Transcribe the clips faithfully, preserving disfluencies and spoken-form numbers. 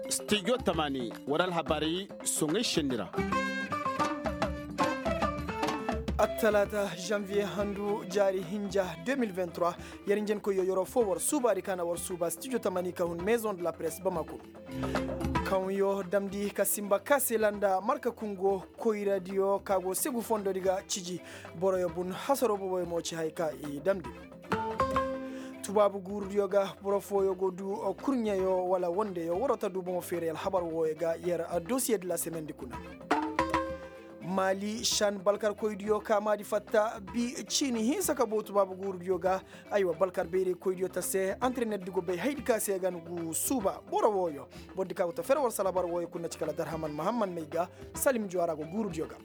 Studio tamani war alhabaray soŋay šenni ra. Attalaata, janvier handu jaari hinja deux mille vingt-trois. Yer njenkoyyo yeroo foo war suubaadi ka na war suuba studio tamani ka hun maison de la presse bamako. Kaŋyo damndi ka simba kaasela nda marka kungo koyradiyo ka go segu fondodi ga ciji. Boroyo bun hasaroo boboyo mo ci haya ka i damndi. Tubaabu guurudiyo ga boro fooyo go du kurɲeyo wala wondeyo waroo ta du bomo feeray alhabar wooyo ga yer dosiye de la semendi kuna. Maali šan balkarkoydiyo ka maadi fatta bi ciini hinsa ka boo tubaabu guurudiyo ga. Aywa balkar bayraykoydiyo ta se antreneddi go bay haydi ka se ga ni gu suuba boro wooyo. Bordi ka go ta fere war salabar wooyo kuna ci kala darhaman mahamman may ga salim juwara go guurudiyo ga.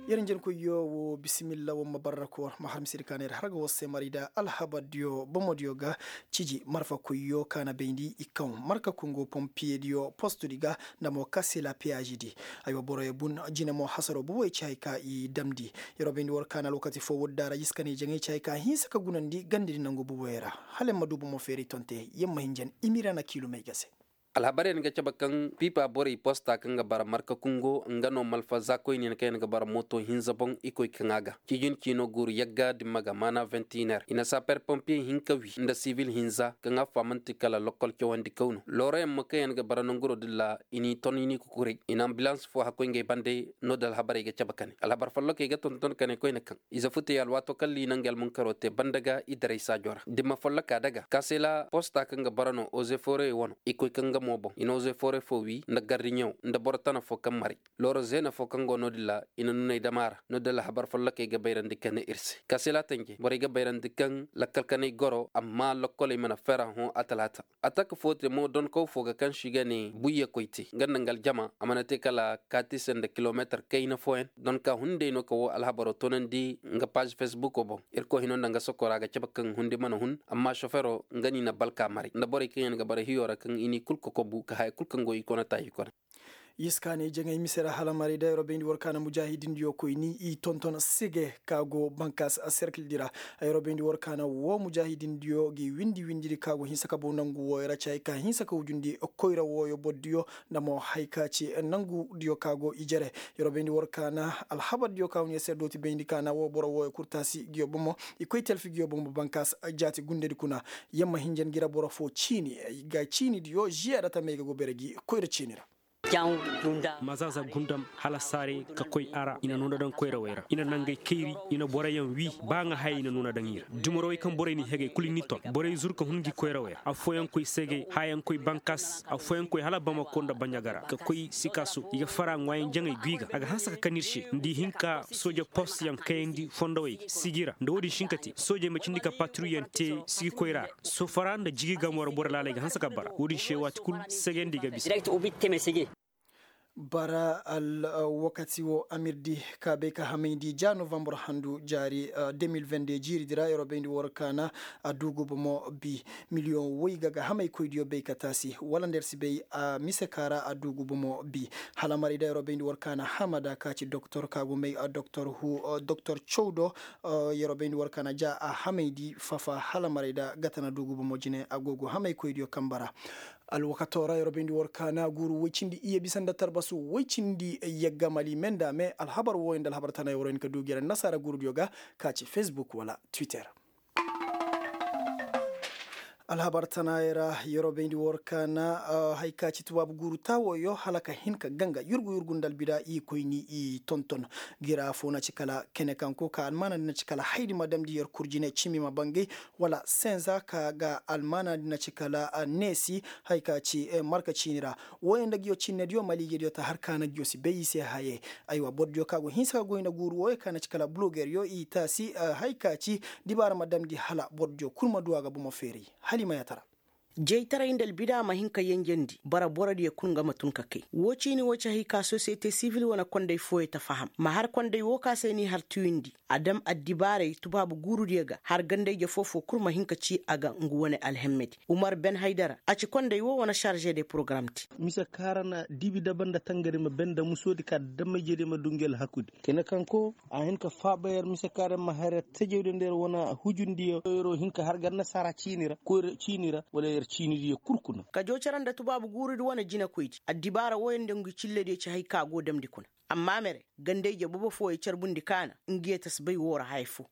Yer njenkoyyo wo bisimilla wo ma barra koor ma har misiri ka na ir har ga war se marida alhabardiyo bomodiyo ga. Ciji marfakoyyo ka na bayndi i kaŋ marka kongo pompiyediyo postudi ga nda mo kase la peyazidi. Aywa boroyo bun jine mo hasaro boboyo ci hay ka i damndi. Yeroo bayndi war ka na alwakati foo wodda ra jiska ne jaŋay ci hay ka hinsa ka gunandi gandadi nangu boboyo ra. Hala yer ma du bomo feeri tonte yer ma hinjan imirana kiilumey ga se. Alhabarey na ga cabe kaŋ piipa borey posta kaŋ ga bara marka kungo nga no malfa zaakoyne na kaŋ yaŋ ga bara mooto hinza boŋ i koy kaŋ a ga. Ciijin ciino guuru yagga dimma ga maana ventiner i na saper pompiyey hinka wi nda sivil hinza kaŋ a faamanti kala lokkol cawandi kaw no looroyaŋ ma kaŋ yaŋ ga bara nanguroo din ra. I n'i ton i n'i kukuray i na ambilans foo hakkoy ngey bande. No-din alhabarey ga cabe ka ne alhabar follokey ga tonton ka ne koyne kaŋ ize futey alwaato kaŋ liina nga almunkaroo te banda ga i daray saajo ra dimma folloka daga kaasela posta kaŋ ga bara no ozeforey wano i koy kaŋ nga mo boŋ i na ozeforey foo wii nda gardiɲew nda boro tana foo kaŋ maray. Looro zeena foo kaŋ go no-din ra i na nuney dam a ra no-din alhabar follokey ga bayrandi ka ne ir se kaasela tanje borey ga bayrandi kaŋ lakkal kanay goro amma lokkoley mana fera hõ a talaata. Atak foo te mo donkaw foo ga kaŋ se i ga ne buyye koy te nga nda nga aljama a mana te kala kaati se nda kilomeetar kayna fooyaŋ donka hunday no ka woo alhabaroo toonandi nga paazi fesbuko boŋ. Irkoy hinoo nda nga sokora a ga cabe kaŋ hundi mana hun amma sofero nga no i na balka maray nda borey kaŋ yaŋ ga bara hiyo ra kaŋ i n'i kul kokobu ka haya kul kaŋ go i kona taayi kona. Yiskaaney jaŋay mise ra hala maray da yeroo bayndi war kaana mujaahidindiyo koyni i tonton sige ka go bankaas serkildi ra. Yeroo bayndi war kaana woo mujaahidindiyo ga i windi windidi ka go hinsa ka bow nangu wooyo ra ci hay ka hinsa ka wujundi koyra wooyo bordiyo nda mo hay ka ci nangudiyo ka go i jere. Yeroo bayndi war kaana alhabardiyo ka hun yer se dooti bayndi kaana woo boro wooyo kul taasi nguyo bomo i koy telfi nguyo bomo bankaas jaati gundedi kuna. Yer ma hinjan ngi ra boro foo ciini ga ciinidiyo ziyaada tamey ga go bere gi koyra ciini ra. Mazaza gundam hala saare ka koy a ra i na nuuna daŋ koyrawey ra i na nangey kayri. I na boroyaŋ wii ba ŋa haya i na nuuna daŋ i ra dumarowey kaŋ borey n'i hegey kul i n'i ton borey zur ka hun ngi koyrawey ra affooyaŋ koy segey hayaŋ koy bankas affooyaŋ koy hala bamako nda baɲaga ra ka koy sikaso i ga fara ŋwaayaŋ jaŋey gwi ga a ga hanse ka kan ir se nda i hin ka sooja post yaŋ kayandi fondowey ga sigi ra nda wo-din si hin ka te soojey ma cindi ka patruyyaŋ te sigi koyra ra. Sofara nda jigi gamo ra boro laaley ga hanse ka bara wo-din se waati kul segandi ga bisa. Bara alwakati wo amirdi ka bay ka hamayndi ja novambar handu jaari deux mille vingt-deux jiiridi ra yeroo bayndi war kaana a duugu bomo bi miliyoŋ woy ga ga hamaykoydiyo bay ka taasi wala nda yer si bay a mise ka ra a duugu bomo bi. Hala maray da yeroo bayndi war kaana hamada ka ci doktor ka go may doktor hu doktor cawdo. Yeroo bayndi war kaana ja a hamayndi fafa hala maray da gata na duugu bomo jine a go go hamaykoydiyo kamba ra. Alwakatoo ra yeroo bayndi war kaana guuru woy cindi iyye bisa nda tarbasu woy cindi yagga mali me nda me alhabar wooyo nda alhabar tana yeroo hin ka duu gere nasaara guurudiyo ga ka ci facebook wala twitter. Alhabar tanaayey ra yeroo bayndi war kaana hay ka ci tubaabu guuru taawooyo hala ka hin ka ganga yurgu yurgu nda albida i koyni i tonton. Gira foo na ci kala kene kanko ka almaanandi na ci kala haydi ma damndi yer kurjine cimi ma bangay wala senza ka ga almaanandi na ci kala neesi. Hay ka ci marka ciini ra wooyo nda nguyo cinnediyo maliijediyo ta har ka na nguyo si bay i se hayey. Aywa bordiyo ka go hinsa ka goy nda guuru wooyo ka na ci kala bulogeryo i taasi. Hay ka ci dibaara ma damndi hala bordiyo kul ma du a ga bomo feeray. Hala i ma yaatara. Jaytaray nda albida ma hin ka yenjendi bara borodiyo kul nga ma tun ka kay. Woo ciini woo ci hay ka sosiyete sivil wane konday fooyo ta faham ma har konday woo ka se n'i har tuyundi. A dam addibaaray tubaabu guurudiyo ga har ganda-ije foo-foo kul ma hin ka ci a ga ngu wane alhemmedi. Umar ben haydara a ci konday woo wane sarže de porogaram te. Mise kaŋ ra na dibi daba nda tangari ma ben nda musoodi ka dama-ijediyo ma du ngi alhakudi kine kaŋ ko a hin ka faaba yer mise kaŋ ra ma har yer tajawdi nda yer wane hujundiyo yeroo hin ka har ga annasaara ciini ra koyra ciini ra wala yer ciinidiyo kul kuna. Kajoo cere nda tubaabu guurudi wane jinekoydi addibaara wooyo nda ngu cillediyo ci hay ka go damndi kuna. Amma mere ganda-ije bobo fooyo carbundi kaana ngiyo ta si bay woo ra haya foo.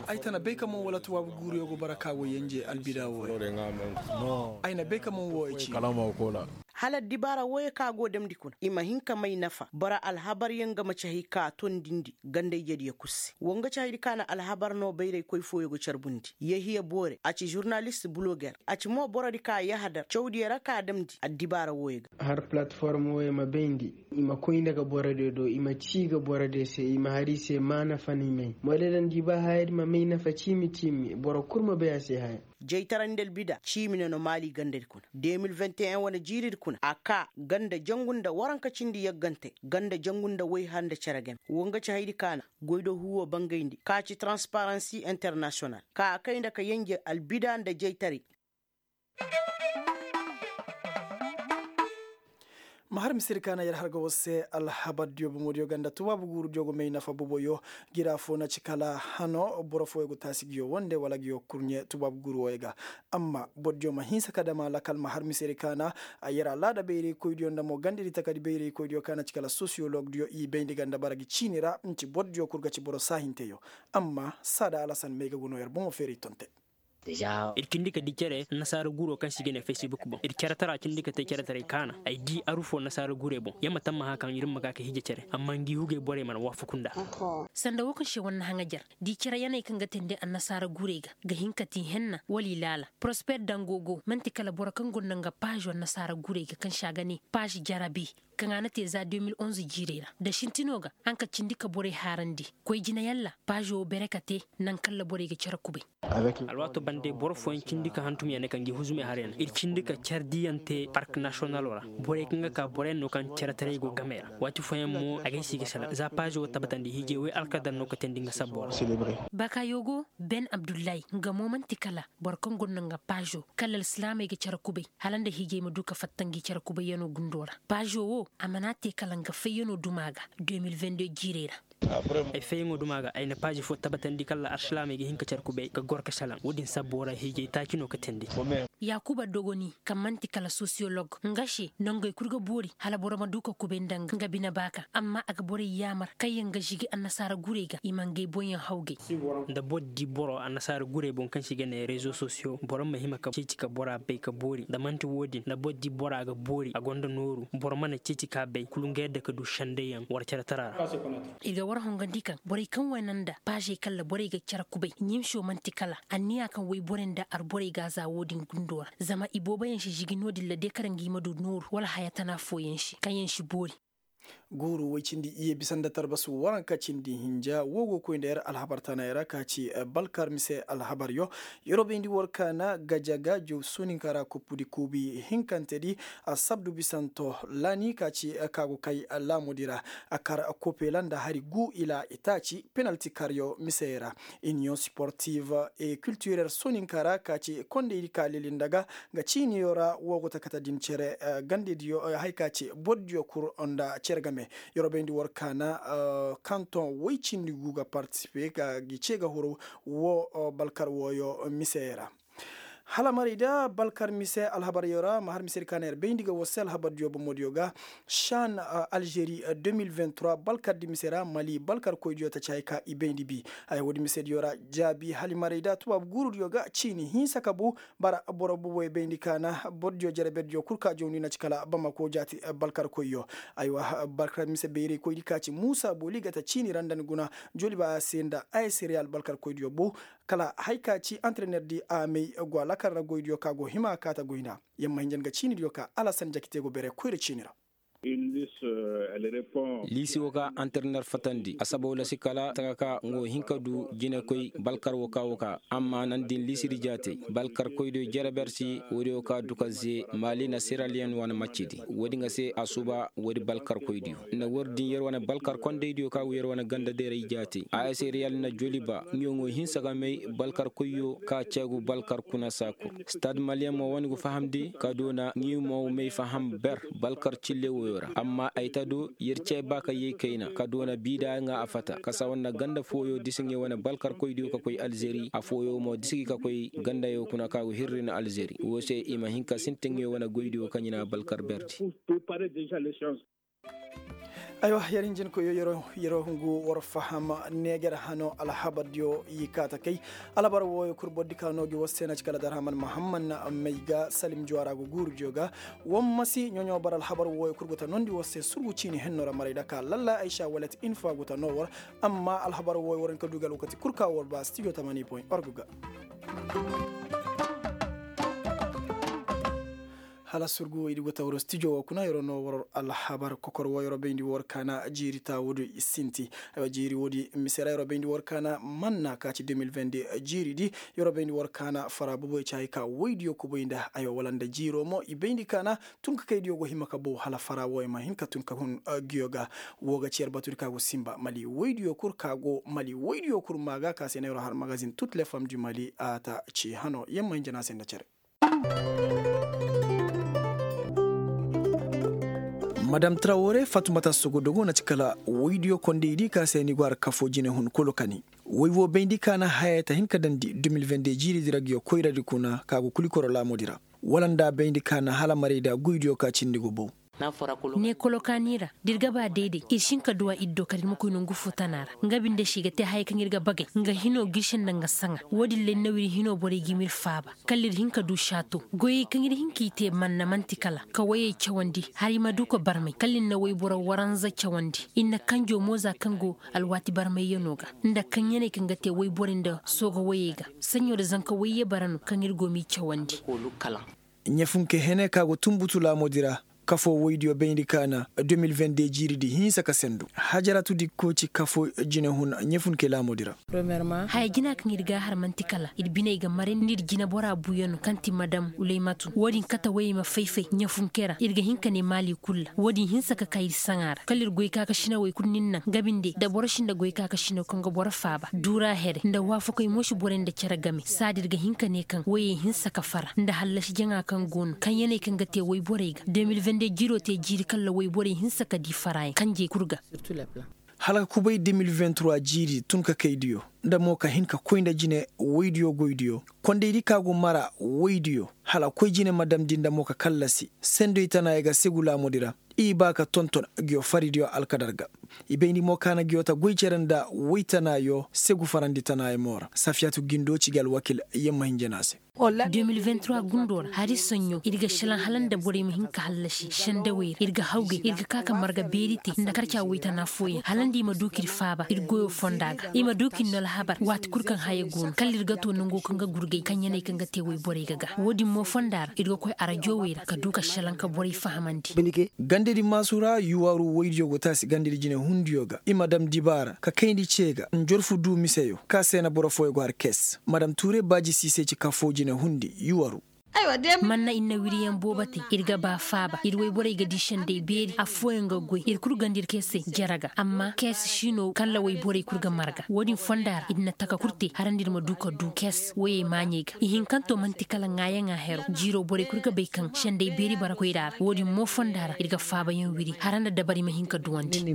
Ay ta na bay ka man wala tubaabu guuruyo go bara ka go yenje albida wooyo. Ay na bay ka man woo ay ci. Hala addibaara wooyo ka go damndi kuna i ma hin ka may nafa bara alhabaryaŋ ga ma ci hay ka tondindi ganda-ijediyo kul se woo nga ci haydi ka na alhabar no bayraykoy fooyo ga carbundi. Yehiya boore a ci žurnalist buloger a ci mo borodi ka yahadar cawdiyo ra ka damndi addibaara wooyo ga. Har palatform wooyo ma bayndi i ma koy nda ga borodiyo do i ma ci ga borodiyo se i ma har i se maana fanimey moyda daŋ di ba hayadi ma may nafa ciimi ciimi boro kul ma bay a se haya. Jaytaray nda albida ciimi ne no maali gandadi kuna de mil vingt et un wane jiiridi kuna a kaa ganda jangu nda waranka cindi yaggante ganda jangu nda wayha nda cere game woo nga ci haydi ka na goydoo huuwoo bangayndi ka ci transparansi internasiyonal ka a kay nda ka yenje albida nda jaytaray. Ma har misedi ka na yer har ga war se alhabardiyo bomodiyo ga nda tubaabu guurudiyo go may nafa boboyo. Gira foo na ci kala hano boro fooyo go taasi ngiyo wande wala ngiyo kurɲe tubaabu guuru wooyo ga. Amma borodiyo ma hinsa ka dam a lakal ma har misedi ka na yer alaada bayraykoydiyo nda mo gandadi takadi bayraykoydiyo ka na ci kala sosiyologdiyo i bayndi ga nda bara ngi ciini ra nci borodiyo kul ga ci boro saahinteyo. Amma saada alasan may ga go no yer bomo feeray tonte. Ir cindi ka di cere nasaara guuroo kaŋ se i ga ne facebook boŋ ir cere tara cindi ka te cere taray kaana ay di aru foo nasaara guurey boŋ yer ma tammaha kaŋ ir ma ga ka hije cere amma ngi hugey borey mana waafaku nda. Sanda woo kaŋ se war na haŋajer di cere yaney kaŋ ga teendi annasaara guurey ga ga hin ka ti henna wala i laala prosper dango go man'ti kala boro kaŋ gonda nga paazo annasaara guurey ga kaŋ se a ga ne paazo jarabi kaŋ a na te za deux mille onze jiirey ra da sintinoo ga a na ka cindi ka borey haarandi koy jina yalla paazo wo bere ka te naŋ kaŋ ra borey ga cere kubay. Alwaato bande boro fooyaŋ cindi ka hantum ya ne ka ngi huzumey har ya ne ir cindi ka care diyaŋ te park nasiyonalo ra. Borey kaŋ ga ka boroyaŋ no kaŋ care taray go game ra waati fooyaŋ mo a ga ay se i ga selaŋ za paazo wo tabbatandi hiijay way alkadar no ka teendi nga sabbo ra. Baakayo go ben abdullahi nga mo man'ti kala boro kaŋ gonda nga paazo kala alsilaamey ga care kubay hala nda hiijay ma du ka fatta ngi care kubayyanoo gundoo ra paazo wo a mana te kala nga fayyanoo duma ga deux mille vingt deux jiirey ra. Ay fayyaŋo duma ga ay na paazi fo tabatandi kala arsilaamey ga hin ka care kubay ga goro ka salaŋ wo-din sabbo ra hiijay taaci no ka teendi. Yaakuba dogoni kaŋ man'ti kala sosiyolog nga se nongey kul ga boori hala boro ma du ka kubay nda nga bine baaka amma a ga borey yaamar kaŋyaŋ ga žigi annasaara gurey ga i ma ngey boŋyaŋ hawgay. Nda boro di boro annasaara gurey boŋ kaŋ se i ga ne rezo sosiyo boro ma hima ka ceeci ka bora bay ka boori nda man'ti wo-din nda boro di bora ga boori a gonda nooru boro mana ceeci ka bay kulu nga yadda ka du sendeyaŋ war care tara ra. Ir ga war hongandi kaŋ borey kaŋ wane nda paazey kalla borey ga care kubay ɲimso man'ti kala anniya kaŋ woy borey nda arborey ga a za wo-din gundo ra zama ibooboyaŋ si žigi no-din ra de kala ngi ma du nooru wala haya tana fooyaŋ se kaŋ yaŋ si boori. Guuru woy cindi iyye bisa nda tarbasu waranka cindi hinja wo go koy nda yer alhabar tanay ra ka ci balkar mise alhabaryo. Yer wo bayndi war kaana gajaga jow sooninka ra koppudi kuubi hinkantedi asabdu bisanto laani ka ci ka go kay laamudi ra a kar kopela nda hari gu ila itaaci penalti karyo misey ra. Iniyoŋ siportiv e kiltirer sooninka ra ka ci kondeydi ka leli nda ga nga ciiniyo ra wo go ta kate din cere gandediyo hay ka ci bordiyo kul nda cere game. Yer wo bayndi war kaana kanton woy cindi gu ga partisipe ka gi ce ga huru wo balkar wooyo misey ra. Hala marayda balkar mise alhabaryo ra ma har misedi ka na yer bayndi ga war se alhabardiyo bomodiyo ga shan alžeri deux mille vingt trois balkardi mise ra mali balkarkoydiyo ta ci hay ka i bayndi bi. Haya woodi misediyo ra jaabi hali marayda tubaabu guurudiyo ga ciini hinsa ka bu bara boro boboy bayndi ka na bordiyo jereberdiyo kul ka jawndi na ci kala bamako jaati balkarkoyyo. Aywa balkar mise bayraykoydi ka ci muusa booli ga ta ciini ra nda ni guna joliba a se nda a se reyal balkarkoydiyo bu kala hay ka ci antrenerdi a may go a lakal ra goydiyo ka go hima ka ta goyna. Yamma hinja nga ciinidiyo ka alasan jakite go bere koyra ciini ra. Liisi woo ka antiriner fatandi a saba wala si kala taka ka nga woo hin ka du jinekoy balkar woo ka woo ka amma nan din liisidi jaatey balkarkoydiyo jere ber se woodiyo ka du ka zee maali na siraliyen wane maccidi woodi nga se a suuba woodi balkarkoydiyo nda war din yer wane balkar kondaydiyo ka go yer wane ganda deeray jaatey a s riyal na joliba nga woo hinsa ka may balkarkoyyo ka ceegu balkar kuna saa kul stad maliyen mo wane go fahamndi ka doona nga woo may faham ber balkar cille woyo ra amma ay ta do yer cee ba ka yay kayna ka doona biida nga a fata ka sawa nda ganda fooyo disi nga wane balkarkoydiyo ka koy alzeri affooyo mo disi gi ka koy gandayo kuna ka go hirri na alzeri woo se i ma hin ka sintin nga wane goydiyo kaŋ i na balkar berdi. Aywa, yer hinjinkoyo yer wo hungu war faham neejer hano alhabardiyo i kaata kay. Alhabar wooyo kul bordi ka no gi war se na ci kala darhaman mahamman may ga salim juwara go guurudiyo ga. War ma si ɲoɲo bar alhabar wooyo kul go ta nondi war se surgu ciini henno ra maray da ka lalla aysa walet infa go ta no war. Amma alhabar wooyo war hin ka du ga alwakati kul ka war ba stijo tamani point org ga. Hala surgu i di go ta war stijo woo kuna yer wo no war alhabar kokor woo yer wo bayndi war kaana jiiri ta woodi sinti. Jiiri woodi mise ra yer wo bayndi war kaana manna ka ci deux mille vingt deux jiiri di yer wo bayndi war kaana fara boboy ci hay ka woydiyo kubay nda aywa wala nda jiiro mo i bayndi kaana. Tun ka kaydiyo go hima ka bow hala fara wooyo ma hin ka tun ka hun giyo ga. Woo ga ci yer batudi ka go sinba mali woydiyo kul ka go mali woydiyo kul maa ga ka se na yer wo har magazin tut le fam du mali a ta ci hano yer ma hin jana se nda cere. Madam trawore fatumata sogodogo na ci kala woydiyo kondey di ka se ni go har kafo jine hun kulu kani woy wo bayndi ka na haya ta hin ka dandi deux mille vingt deux jiiri di ra ga yo koyradi kuna ka go kuli koro laamudi ra. Wala nda bayndi ka na hala maray da goydiyo ka cindi go bow. Ne kolokaani ra da ir ga ba dayday ir si hin ka duw'a ir do kala ir ma koy nongu fo tana ra nga binde se i ga te hayey kaŋ ir ga bagay nga hino g'i se nda nga saŋa. Wo-din ra ir na w'ir hino borey ga i m'ir faaba kala ir hin ka du saato goyey kaŋ ir hin k'i te manna man'ti kala ka woyey cawandi hala i ma du ka barmay kala ir na woyboro waranza cawandi. Ir na kanjo mo za kaŋ go alwaati barmayyanoo ga nda kaŋyaney kaŋ ga te woyborey nda sooga woyey ga saɲɲo nda zanka woyye bara no kaŋ ir go m'i cawandi. Ɲafunke hene ka go tunbutu laamoodi ra. Kafoo woydiyo bayndi ka na deux mille vingt deux jiiridi hinsa ka sendu hajaratu dikko ci kafoo jinehun ɲafunke laamoodi ra. Haya jina kaŋ ir ga a har man'ti kala ir biney ga marayndi ir jineboraa buuyanoo kaŋ ti madam uleymatu wo-din kate woyey ma fay-fay ɲafunke ra ir ga hin ka ne maali kul ra wo-din hinsa ka kaa ir saŋa ra kala ir goykaakasinawey kul n'ir naŋ nga binde nda boro si nda goykaakasinaw kaŋ ga boro faaba duura here nda waafakey mo si borey nda cere game saadi ir ga hin ka ne kaŋ woyey hinsa ka fara nda hallasi jaŋa kaŋ go no kaŋ yaney kaŋ ga te woyborey ga deux mille vingt deux jiiroo te jiiri kaŋ ra woyborey hinsa ka di faraayaŋ kanjey kul ga. Hala ka kubay deux mille vingt trois jiiri tun ka kaydiyo nda mo ka hin ka koy nda jine woydiyo goydiyo kondaydi ka go mara woydiyo hala koy jine ma damndi nda mo ka kallasi sendoy tanaayey ga segu laamoodi ra. I ba ka tonton ngiyo faridiyo alkadar ga. I bayndi mo ka na ngiyo ta goy cere nda woytanaayo segu farandi tanaayey mo ra safiyatu gindo ci ga alwakil yamma hinja no a se. Deux mille vingt trois gundoo ra hari soɲɲo ir ga šelaŋ hala nda borey ma hin ka hallasi sendawey ra ir ga hawgay ir ga ka ka marga beeri te nda karca woytana fooyaŋ hala nda i ma du k'ir faaba ir goyoo fonda ga i ma du k'ir no alhabar waati kul kaŋ haya go no kala ir ga too nangoo kaŋ ga gurgay kaŋ yaney kaŋ ga te woyborey ga ga wo-din mo fonda ra ir ga koy arajowey ra ka du ka šelaŋ ka borey fahamandi. Gandedi maasu ra yuwaaru woydiyo go taasi gandedi jinehundiyo ga i ma dam dibaara ka kayndi cee ga njorfu duu miseyo ka se na boro fooyo go har kes madam tuure baaji siisey ci kafoo jinehundi yuwaaru. Manna ir na wiriyaŋ boobo te ir ga ba faaba ir woyborey ga di sendey beeri affooyaŋ ga goy ir kul ganda ir keesey jere ga amma kees si no kalla woyborey kul ga marga wo-din fonda ra ir na taka kul te harandi ir ma du ka du kees woyey maaɲey ga ihinkanto man'ti kala ŋaayaŋa hero jiiroo borey kul ga bay kaŋ sendey beeri bara koyra ra wo-din mo fonda ra ir ga faabayaŋ wiri hara nda dabari ma hin ka duwandi.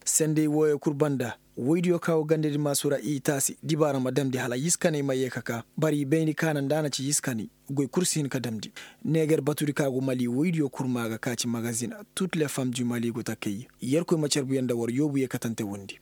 Senday wooyo kul banda woydiyo ka go gandadi maasu ra i taasi dibaara ma damndi hala yiskaney ma yee ka kaa bari i bayndi ka na nda a na ci yiskaney goy kul si hin ka damndi. Neeger batudi ka go mali woydiyo kul maa ga ka ci magazin tut le fam du mali go ta kay yerkoy ma carbuyaŋ nda war yoobu yee katante wondi.